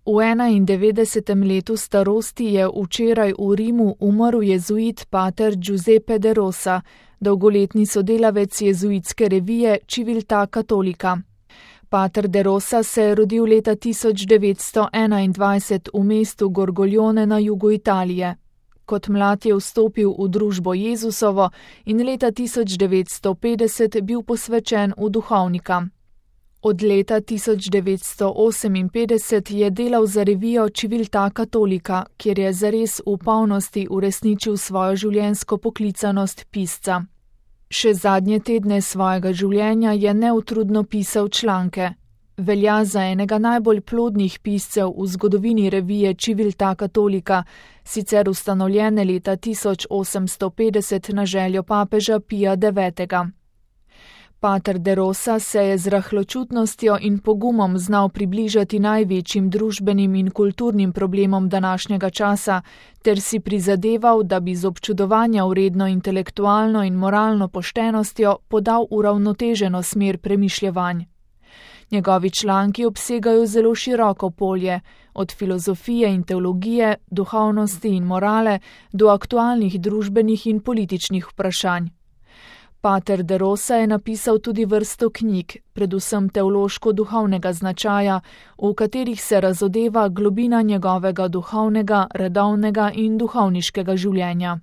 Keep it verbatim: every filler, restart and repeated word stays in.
V enaindevetdesetem letu starosti je včeraj v Rimu umrl jezuit pater Giuseppe de Rosa, dolgoletni sodelavec jezuitske revije Civiltà Cattolica. Pater de Rosa se je rodil leta tisoč devetsto enaindvajset v mestu Gorgoglione na jugu Italije. Kot mlad je vstopil v družbo Jezusovo in leta tisoč devetsto petdeset bil posvečen v duhovnika. Od leta tisoč devetsto oseminpetdeset je delal za revijo Civiltà Cattolica, kjer je zares v polnosti uresničil svojo življenjsko poklicanost pisca. Še zadnje tedne svojega življenja je neutrudno pisal članke. Velja za enega najbolj plodnih piscev v zgodovini revije Civiltà Cattolica, sicer ustanovljene leta tisoč osemsto petdeset na željo papeža Pija devetega. Pater de Rosa se je z rahločutnostjo in pogumom znal približati največjim družbenim in kulturnim problemom današnjega časa ter si prizadeval, da bi z občudovanja vredno intelektualno in moralno poštenostjo podal uravnoteženo smer premišljevanj. Njegovi članki obsegajo zelo široko polje, od filozofije in teologije, duhovnosti in morale do aktualnih družbenih in političnih vprašanj. Pater de Rosa je napisal tudi vrsto knjig, predvsem teološko-duhovnega značaja, v katerih se razodeva globina njegovega duhovnega, redovnega in duhovniškega življenja.